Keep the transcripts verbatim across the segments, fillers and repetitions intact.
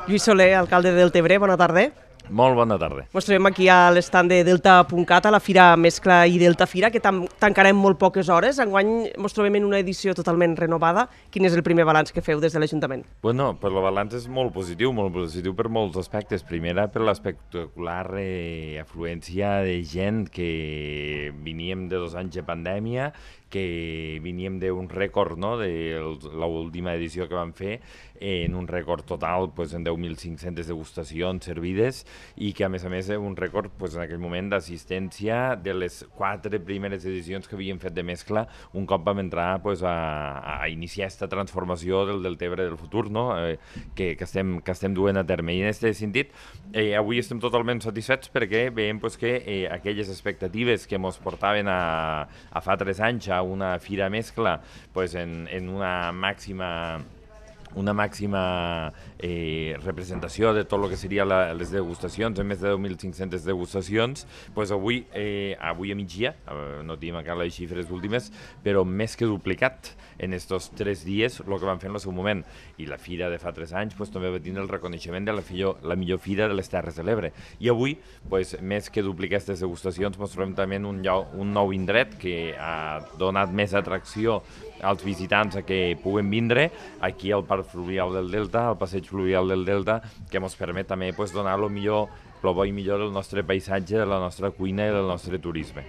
Lluís Soler, alcalde de Deltebre, bona tarda. Molt bona tarda. Ens trobem aquí a l'estand de Delta punt cat, a la Fira Mescla i Delta Fira, que tan tancarem molt poques hores. Enguany ens trobem en una edició totalment renovada. Quin és el primer balanç que feu des de l'Ajuntament? Bueno, pues el balanç és molt positiu, molt positiu per molts aspectes. Primera, per l'espectacular eh, afluència de gent que veníem de dos anys de pandèmia, que veníem d'un rècord, no?, de l'última edició que vam fer, en un rècord total pues, en deu mil cinc-centes degustacions servides i que a més a més un rècord pues, en aquell moment d'assistència de les quatre primeres edicions que havíem fet de mescla un cop vam entrar pues, a, a iniciar aquesta transformació del Deltebre del futur, no?, eh, que, que, estem, que estem duent a terme. I en aquest sentit, eh, avui estem totalment satisfets perquè veiem pues, que eh, aquelles expectatives que ens portaven a, a fa tres anys a una fira mescla pues, en, en una màxima una màxima eh, representació de tot el que seria la, les degustacions, en més de deu mil cinc-centes degustacions, pues avui, eh, avui a migdia, eh, no tenim encara les xifres últimes, però més que duplicat en estos tres dies el que vam fer en el seu moment. I la fira de fa tres anys pues, també va tenir el reconeixement de la, fillor, la millor fira de les Terres de l'Ebre. I avui, pues, més que duplicar aquestes degustacions, ens trobem també en un, lloc, un nou indret que ha donat més atracció als visitants a que puguen vindre aquí al Parc Fluvial del Delta, al Passeig Fluvial del Delta, que ens permet també pues, donar el millor, el bo i millor del nostre paisatge, de la nostra cuina i del nostre turisme.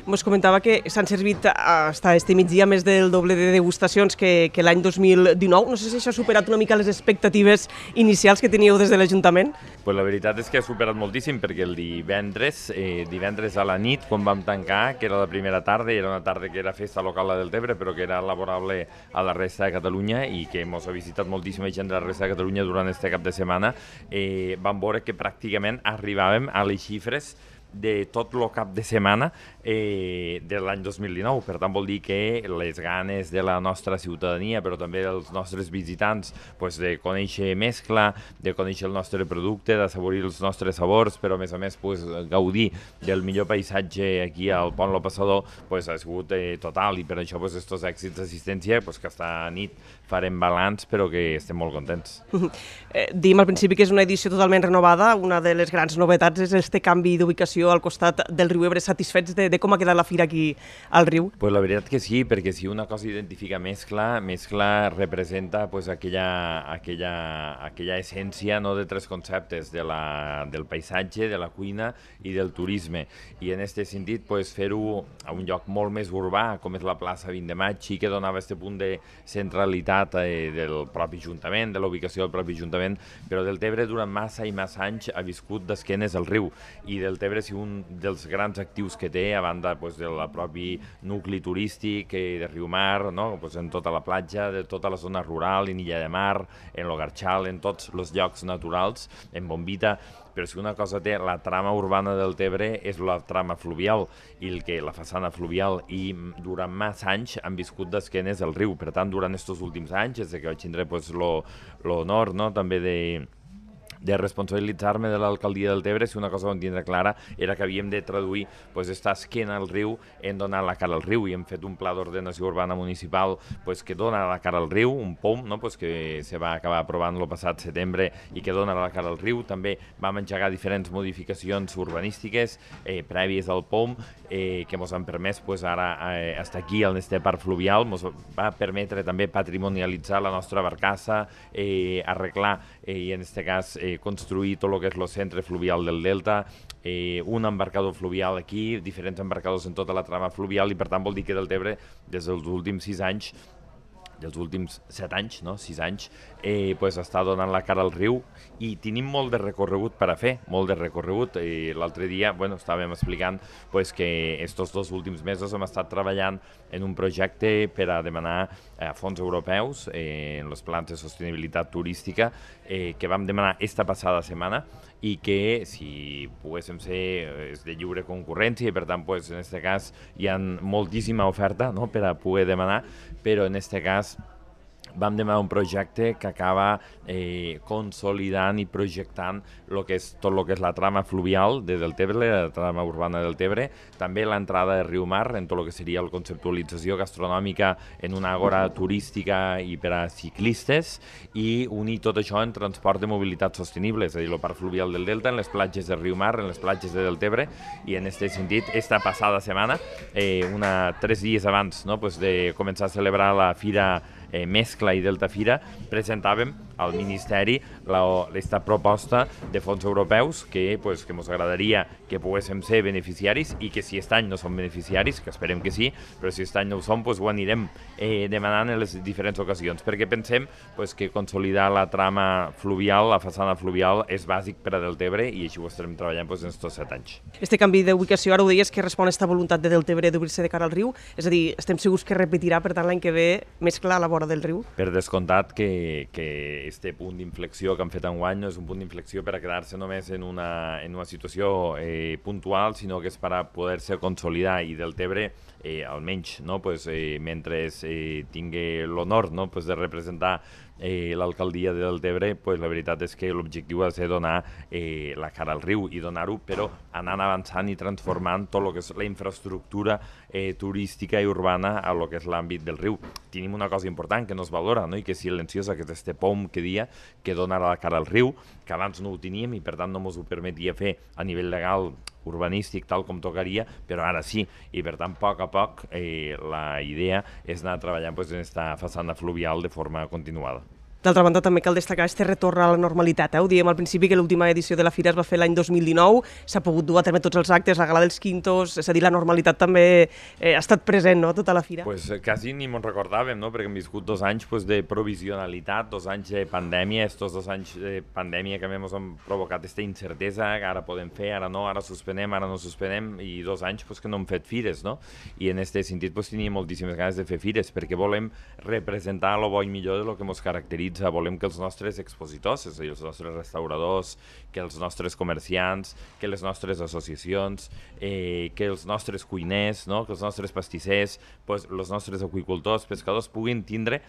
Ens comentava que s'han servit fins este migdia més del doble de degustacions que, que l'any dos mil dinou. No sé si això ha superat una mica les expectatives inicials que teníeu des de l'Ajuntament. Pues la veritat és que ha superat moltíssim perquè el divendres, eh, divendres a la nit, quan vam tancar, que era la primera tarda, era una tarda que era festa local a Deltebre, però que era laborable a la resta de Catalunya i que ens ha visitat moltíssima gent de la resta de Catalunya durant este cap de setmana, eh, vam veure que pràcticament arribàvem a les xifres de tot el cap de setmana eh, de l'any dos mil dinou. Per tant, vol dir que les ganes de la nostra ciutadania, però també dels nostres visitants, pues, de conèixer mescla, de conèixer el nostre producte, d'assaborir els nostres sabors, però a més a més pues, gaudir del millor paisatge aquí al Pont Lo Passador, pues, ha sigut eh, total, i per això pues, estos èxits d'assistència pues, que esta nit farem balanç, però que estem molt contents. Eh, Diem al principi que és una edició totalment renovada. Una de les grans novetats és este canvi d'ubicació al costat del riu Ebre. Satisfets de, de com ha quedat la fira aquí al riu? Pues la veritat que sí, perquè si una cosa identifica mescla, mescla representa pues, aquella, aquella, aquella essència, no, de tres conceptes, de la, del paisatge, de la cuina i del turisme. I en aquest sentit pues, fer-ho a un lloc molt més urbà, com és la plaça vint de maig, sí que donava aquest punt de centralitat eh, del propi Ajuntament, de la ubicació del propi Ajuntament, però Deltebre durant massa i massa anys ha viscut d'esquenes al riu, i Deltebre és un dels grans actius que té, a banda pues, del propi nucli turístic eh, de Riumar, no? Pues, en tota la platja, de tota la zona rural, en Illa de Mar, en l'Ogarxal, en tots els llocs naturals, en Bombita, però si una cosa té la trama urbana del Tebre és la trama fluvial, i el que la façana fluvial, i durant massa anys han viscut d'esquenes al riu. Per tant, durant aquests últims anys, des que vaig tindre pues, l'honor, no?, també de de responsabilitzar-me de l'alcaldia del Tebre, si una cosa vam tindre clara era que havíem de traduir pues, esta esquena al riu en donar la cara al riu, i hem fet un pla d'ordenació urbana municipal pues, que dona la cara al riu, un POM, no? Pues, que se va acabar aprovant el passat setembre i que dona la cara al riu. També vam engegar diferents modificacions urbanístiques eh, prèvies al POM eh, que ens han permès pues, ara eh, estar aquí al este parc fluvial. Ens va permetre també patrimonialitzar la nostra barcassa, eh, arreglar eh, i en aquest cas eh, construir tot el que és el centre fluvial del Delta, eh, un embarcador fluvial aquí, diferents embarcadors en tota la trama fluvial, i per tant vol dir que Deltebre des dels últims sis anys dels últims set anys, no? sis anys, eh, pues està donant la cara al riu, i tenim molt de recorregut per a fer, molt de recorregut. Eh, L'altre dia, bueno, estàvem explicant pues, que estos dos últims mesos hem estat treballant en un projecte per a demanar eh, fons europeus eh, en els plans de sostenibilitat turística eh, que vam demanar esta passada setmana, i que si poguéssim ser és de lliure concurrència, i per tant pues, en aquest cas hi ha moltíssima oferta, no?, per a poder demanar, però en aquest cas vam demanar un projecte que acaba eh, consolidant i projectant lo que és, tot el que és la trama fluvial de Deltebre, la trama urbana del Tebre, també l'entrada de Riu Mar en tot el que seria la conceptualització gastronòmica en una àgora turística i per a ciclistes, i unir tot això en transport de mobilitat sostenible, és a dir, el parc fluvial del Delta, en les platges de Riu Mar, en les platges de Deltebre, i en aquest sentit, esta passada setmana, eh, una, tres dies abans no, pues de començar a celebrar la Fira eh, Mescla i Delta Fira, presentàvem al Ministeri aquesta proposta de fons europeus que pues, que ens agradaria que poguéssim ser beneficiaris, i que si aquest any no som beneficiaris, que esperem que sí, però si aquest any no ho som, pues, ho anirem eh, demanant en les diferents ocasions, perquè pensem pues, que consolidar la trama fluvial, la façana fluvial, és bàsic per a Deltebre, i així ho estarem treballant pues, en aquests set anys. Este canvi d'ubicació, ara ho deies, que respon a aquesta voluntat de Deltebre d'obrir-se de cara al riu, és a dir, estem segurs que repetirà, per tant, l'any que ve Mescla a la vora del riu? Per descomptat que, que este punt d'inflexió que han fet enguany no és un punt d'inflexió per a quedar-se només en una, en una situació eh, puntual, sinó que és per a poder-se consolidar, i Deltebre, eh, almenys, no? pues, eh, mentre eh, tingui l'honor no? pues, de representar eh, l'alcaldia de Deltebre, pues, la veritat és que l'objectiu ha de ser donar eh, la cara al riu, i donar-ho, però anant avançant i transformant tot el que és la infraestructura eh, turística i urbana a lo que és l'àmbit del riu. Tenim una cosa important que no es valora, no? I que és silenciosa, que és este pom que dia que dona la cara al riu, que abans no ho teníem i per tant no ens ho permetia fer a nivell legal urbanístic tal com tocaria, però ara sí, i per tant a poc a poc eh, la idea és anar treballant pues, en aquesta façana fluvial de forma continuada. D'altra banda, també cal destacar este retorn a la normalitat. Eh? Ho dèiem al principi que l'última edició de la Fira es va fer l'any dos mil dinou, s'ha pogut dur a terme tots els actes, la gala dels quintos, és a dir, la normalitat també eh, ha estat present, no?, tota la Fira. Pues quasi ni me'n recordàvem, no?, perquè hem viscut dos anys pues, de provisionalitat, dos anys de pandèmia, estos dos anys de pandèmia que ens han provocat aquesta incertesa, que ara podem fer, ara no, ara suspenem, ara no suspenem, i dos anys pues, que no hem fet fires, no? I en aquest sentit pues, teníem moltíssimes ganes de fer fires, perquè volem representar el bo i millor de lo que ens caracteritza. Volem que els nostres expositors, és a dir, els nostres restauradors, que els nostres comerciants, que les nostres associacions, eh, que els nostres cuiners, no? Que els nostres pastissers, pues, els nostres aqüicultors, pescadors, puguin tindre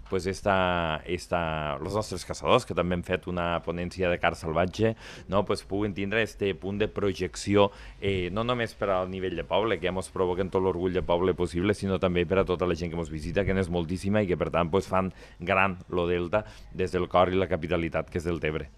pues, esta, esta, els nostres caçadors, que també hem fet una ponència de car salvatge, no? Pues, puguin tindre este punt de projecció, eh, no només per al nivell de poble, que ja ens provoquen tot l'orgull de poble possible, sinó també per a tota la gent que ens visita, que n'és moltíssima i que per tant pues, fan gran lo Delta des del cor i la capitalitat que és Deltebre.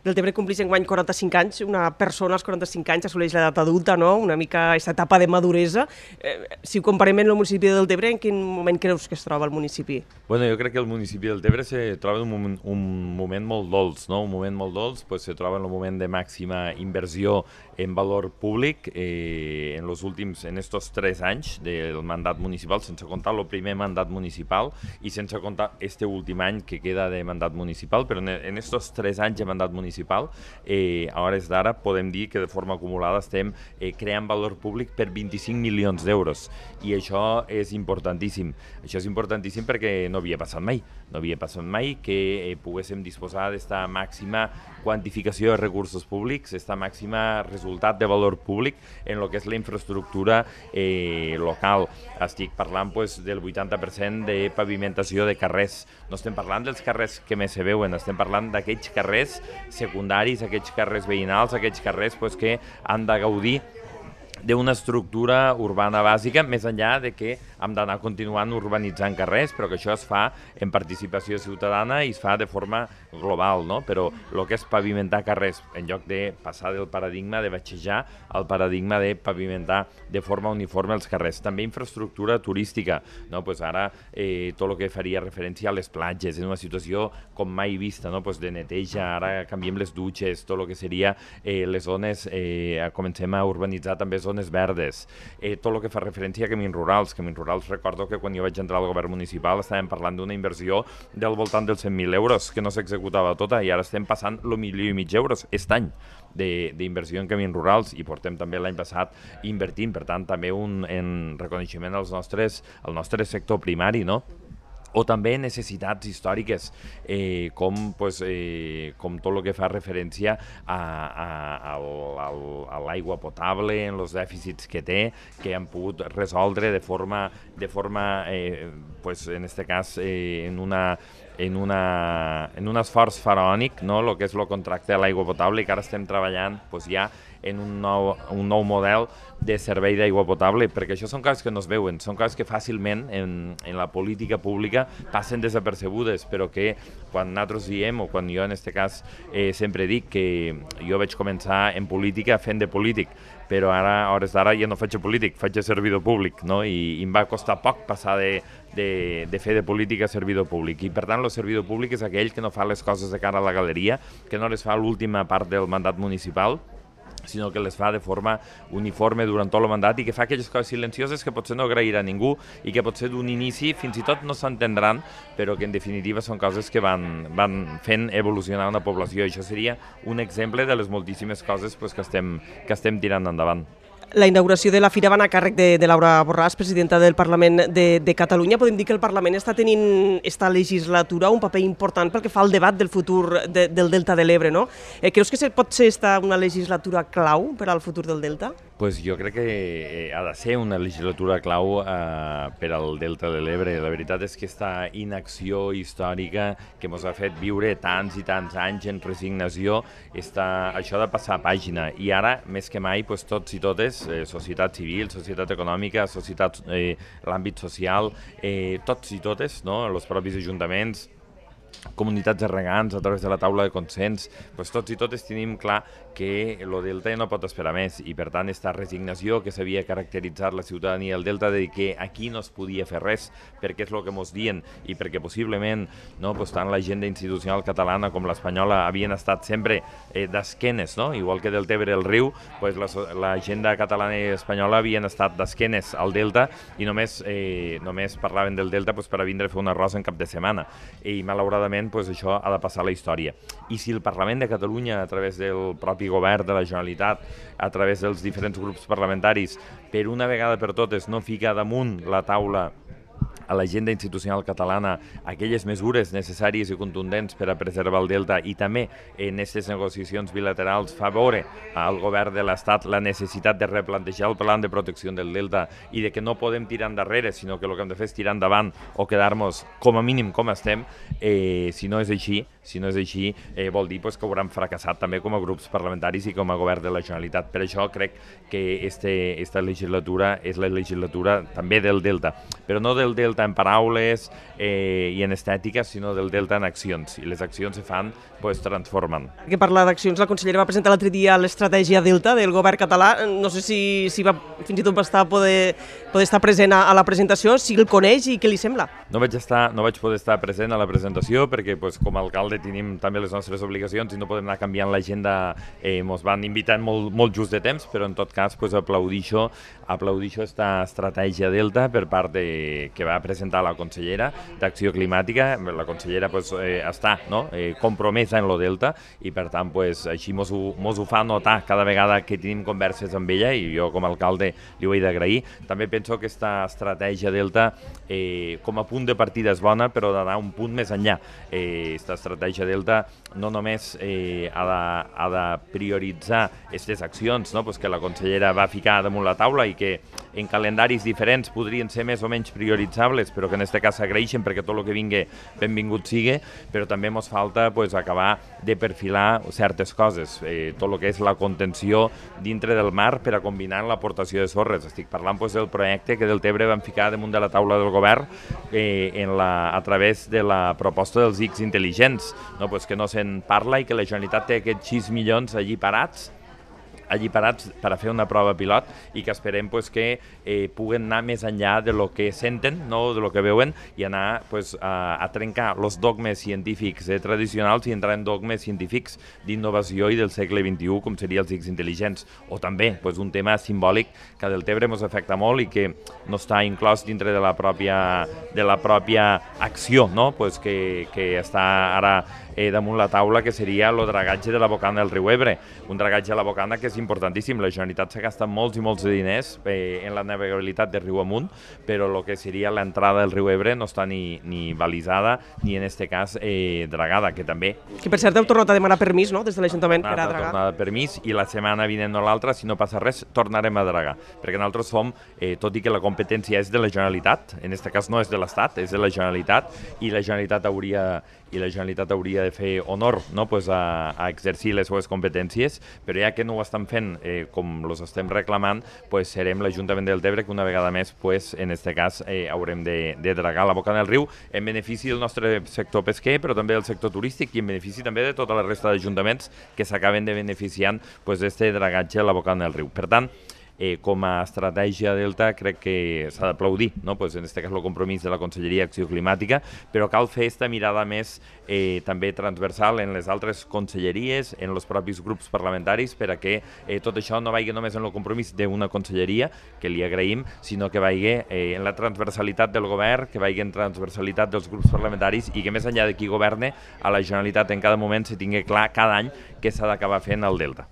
Deltebre compleix enguany quaranta-cinc anys, una persona als quaranta-cinc anys assoleix l'edat adulta, no? Una mica aquesta etapa de maduresa. Eh, si ho comparem amb el municipi de Deltebre, en quin moment creus que es troba el municipi? Bueno, jo crec que el municipi de Deltebre se troba en un moment, un moment molt dolç, no? Un moment molt dolç, pues, se troba en un moment de màxima inversió en valor públic eh, en els últims, en estos tres anys del mandat municipal, sense comptar el primer mandat municipal i sense comptar este últim any que queda de mandat municipal, però en estos tres anys de mandat municipal, eh, a hores d'ara podem dir que de forma acumulada estem eh, creant valor públic per vint-i-cinc milions d'euros, i això és importantíssim. Això és importantíssim perquè no havia passat mai, no havia passat mai que eh, poguéssim disposar d'esta màxima quantificació de recursos públics, esta màxima resultat de valor públic en el que és la infraestructura eh, local. Estic parlant pues, del vuitanta per cent de pavimentació de carrers. No estem parlant dels carrers que més se veuen, estem parlant d'aquells carrers secundaris, aquells carrers veïnals, aquells carrers pues, que han de gaudir d'una estructura urbana bàsica, més enllà de que hem d'anar continuant urbanitzant carrers, però que això es fa en participació ciutadana i es fa de forma global, no? Però el que és pavimentar carrers, en lloc de passar del paradigma de batxejar al paradigma de pavimentar de forma uniforme els carrers. També infraestructura turística, no? Pues ara eh, tot el que faria referència a les platges, en una situació com mai vista, no? Pues de neteja, ara canviem les dutxes, tot el que seria eh, les zones, eh, comencem a urbanitzar també zones verdes, eh, tot el que fa referència a camins rurals. Camins rurals, recordo que quan jo vaig entrar al govern municipal estàvem parlant d'una inversió del voltant dels cent mil euros, que no s'executava tota, i ara estem passant el milió i mig d'euros aquest any d'inversió en camins rurals, i portem també l'any passat invertint, per tant també un en reconeixement als nostres, al nostre sector primari, no? O també necessitats històriques, eh, com, pues, eh, com tot el que fa referència a, a, a, a l'aigua potable, en els dèficits que té, que han pogut resoldre de forma, de forma eh, pues, en aquest cas, eh, en una en, una, en un esforç faraònic, no? El que és el contracte de l'aigua potable, i que ara estem treballant pues, ja en un nou, un nou model de servei d'aigua potable, perquè això són coses que no es veuen, són coses que fàcilment en, en la política pública passen desapercebudes, però que quan nosaltres diem, o quan jo en aquest cas eh, sempre dic que jo vaig començar en política fent de polític, però ara, a hores d'ara, ja no faig de polític, faig de servidor públic, no? I, i em va costar poc passar de, de, de fer de política a servidor públic. I per tant, el servidor públic és aquell que no fa les coses de cara a la galeria, que no les fa a l'última part del mandat municipal, sinó que les fa de forma uniforme durant tot el mandat i que fa aquelles coses silencioses que potser no agrairà a ningú i que potser d'un inici fins i tot no s'entendran, però que en definitiva són coses que van, van fent evolucionar una població. I això seria un exemple de les moltíssimes coses pues, que, estem, que estem tirant endavant. La inauguració de la fira va anar a càrrec de, de Laura Borràs, presidenta del Parlament de, de Catalunya. Podem dir que el Parlament està tenint esta legislatura un paper important pel que fa al debat del futur de, del Delta de l'Ebre, no? Eh, creus que pot ser esta una legislatura clau per al futur del Delta? Pues jo crec que ha de ser una legislatura clau eh, per al Delta de l'Ebre. La veritat és que aquesta inacció històrica que ens ha fet viure tants i tants anys en resignació, està, això ha de passar a pàgina. I ara, més que mai, pues, tots i totes, eh, societat civil, societat econòmica, societat, eh, l'àmbit social, eh, tots i totes, no? Els propis ajuntaments, comunitats de regants a través de la taula de consens, doncs tots i totes tenim clar que el Delta no pot esperar més i per tant aquesta resignació que s'havia caracteritzat la ciutadania del Delta de dir que aquí no es podia fer res perquè és el que ens diuen i perquè possiblement no, doncs tant l'agenda institucional catalana com l'espanyola havien estat sempre eh, d'esquenes, no? Igual que del Tebre el riu, doncs l'agenda catalana i espanyola havien estat d'esquenes al Delta i només, eh, només parlaven del Delta doncs, per a vindre a fer un arròs en cap de setmana i malauradament pues, això ha de passar a la història. I si el Parlament de Catalunya, a través del propi govern de la Generalitat, a través dels diferents grups parlamentaris, per una vegada per totes no fica damunt la taula a l'agenda institucional catalana aquelles mesures necessàries i contundents per a preservar el Delta i també en aquestes negociacions bilaterals fa veure al govern de l'Estat la necessitat de replantejar el pla de protecció del Delta i de que no podem tirar endarrere, sinó que el que hem de fer és tirar endavant o quedar-nos com a mínim com estem, eh, si no és així, si no és així, eh, vol dir pues, que hauran fracassat també com a grups parlamentaris i com a govern de la Generalitat. Per això crec que este, esta legislatura és la legislatura també del Delta, però no del Delta en paraules eh, i en estètica, sinó del Delta en accions. I les accions se fan, pues, transformen. Que parla d'accions, la consellera va presentar l'altre dia l'estratègia Delta del govern català. No sé si, si va fins i tot va estar poder, poder estar present a, a la presentació, si el coneix i què li sembla. No vaig, estar, no vaig poder estar present a la presentació perquè pues, com a alcalde tenim també les nostres obligacions i no podem anar canviant l'agenda. Eh, ens van invitar molt, molt just de temps, però en tot cas pues, aplaudixo, aplaudixo esta estratègia Delta per part de, que va presentar la consellera d'Acció Climàtica. La consellera pues, eh, està no? eh, compromesa en lo Delta i per tant pues, així mos ho, mos ho fa notar cada vegada que tenim converses amb ella i jo com a alcalde li ho he d'agrair. També penso que aquesta estratègia Delta eh, com a punt de partida és bona, però d'anar un punt més enllà. Aquesta eh, estratègia Delta no només eh, ha, de, ha de prioritzar aquestes accions no? pues que la consellera va ficar damunt la taula i que en calendaris diferents podrien ser més o menys prioritzables, però que en aquest cas s'agraeixen perquè tot el que vingui benvingut sigui, però també ens falta pues, acabar de perfilar certes coses, eh, tot el que és la contenció dintre del mar per a combinar l'aportació de sorres. Estic parlant pues, del projecte que del Tebre van ficar damunt de la taula del govern eh, en la, a través de la proposta dels I Cs intel·ligents, no? pues, que no se'n parla i que la Generalitat té aquests sis milions allí parats allí parats per a fer una prova pilot i que esperem pues, que eh, puguen anar més enllà de lo que senten, no de lo que veuen i anar pues, a, a trencar els dogmes científics eh, tradicionals i entrar en dogmes científics d'innovació i del segle vint-i-u com seria els I Cs intel·ligents o també pues, un tema simbòlic que del Tebre ens afecta molt i que no està inclòs dintre de la pròpia, de la pròpia acció no? pues, que, que està ara eh, damunt la taula que seria el dragatge de la bocana del riu Ebre, un dragatge a la bocana que és és importantíssim. La Generalitat s'ha gastat molts i molts de diners eh, en la navegabilitat de riu amunt, però el que seria l'entrada del riu Ebre no està ni, ni balisada ni en este cas eh, dragada, que també... Que per cert heu tornat a demanar permís, no?, des de l'Ajuntament per a dragar. Tornada de permís, i la setmana vinent o l'altra, si no passa res, tornarem a dragar, perquè nosaltres som, eh, tot i que la competència és de la Generalitat, en aquest cas no és de l'Estat, és de la Generalitat, i la Generalitat hauria i la Generalitat hauria de fer honor, no?, pues a, a exercir les seves competències, però ja que no ho estan fent eh, com els estem reclamant, pues serem l'Ajuntament del Tebre que una vegada més, pues, en aquest cas, eh, haurem de, de dragar la boca del riu en benefici del nostre sector pesquer, però també del sector turístic i en benefici també de tota la resta d'ajuntaments que s'acaben de beneficiant pues, d'este dragatge a la boca del riu. Per tant, Eh, com a estratègia Delta crec que s'ha d'aplaudir, no? Pues en aquest cas el compromís de la Conselleria d'Acció Climàtica, però cal fer aquesta mirada més eh, també transversal en les altres conselleries, en els propis grups parlamentaris, per a que eh, tot això no vagi només en el compromís d'una conselleria, que li agraïm, sinó que vagi eh, en la transversalitat del govern, que vagi en transversalitat dels grups parlamentaris i que més enllà de qui governe, a la Generalitat en cada moment se tingui clar cada any què s'ha d'acabar fent al Delta.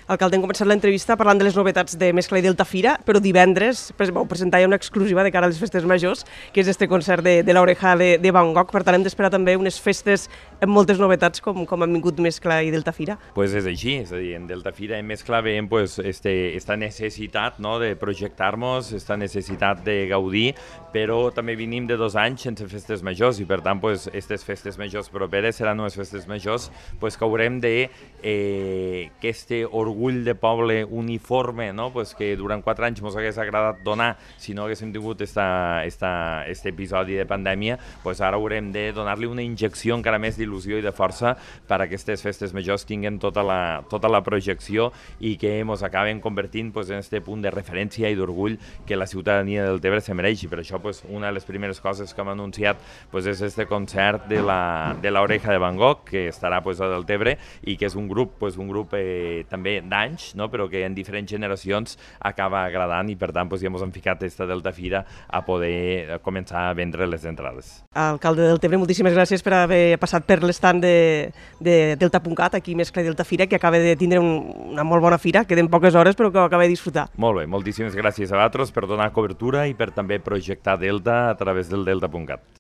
Alcalde, hem començat l'entrevista parlant de les novetats de Mescla i Delta Fira, però divendres vau presentar una exclusiva de cara a les festes majors, que és este concert de, de l'Oreja de, de Van Gogh. Per tant, hem d'esperar també unes festes amb moltes novetats com, com han vingut Mescla i Delta Fira. Pues és així, és a dir, en Delta Fira i en Mescla veiem pues, este, esta necessitat, no?, de projectar-nos, esta necessitat de gaudir, però també venim de dos anys sense festes majors i per tant pues, aquestes festes majors properes seran unes festes majors pues, que haurem de eh, que este orgull de poble uniforme, no?, pues, que durant quatre anys ens hagués agradat donar si no haguéssim tingut esta, esta, este episodi de pandèmia, pues ara haurem de donar-li una injecció encara més d'il·lusió i de força per a que aquestes festes majors tinguin tota la, tota la projecció i que ens acaben convertint pues, en este punt de referència i d'orgull que la ciutadania del Tebre se mereix. I per això pues, una de les primeres coses que hem anunciat pues, és este concert de la, de l'Oreja de Van Gogh, que estarà pues, a del Tebre i que és un grup, pues, un grup eh, també d'anys, no?, però que en diferents generacions acaba agradant i per tant pues, ja ens hem ficat esta Delta Fira a poder començar a vendre les entrades. Alcalde del Tebre, moltíssimes gràcies per haver passat per l'estand de, de Delta punt cat, aquí Mescla i Delta Fira, que acaba de tindre un, una molt bona fira, queden poques hores però que ho acaba de disfrutar. Molt bé, moltíssimes gràcies a vosaltres per donar cobertura i per també projectar Delta a través del Delta punt cat.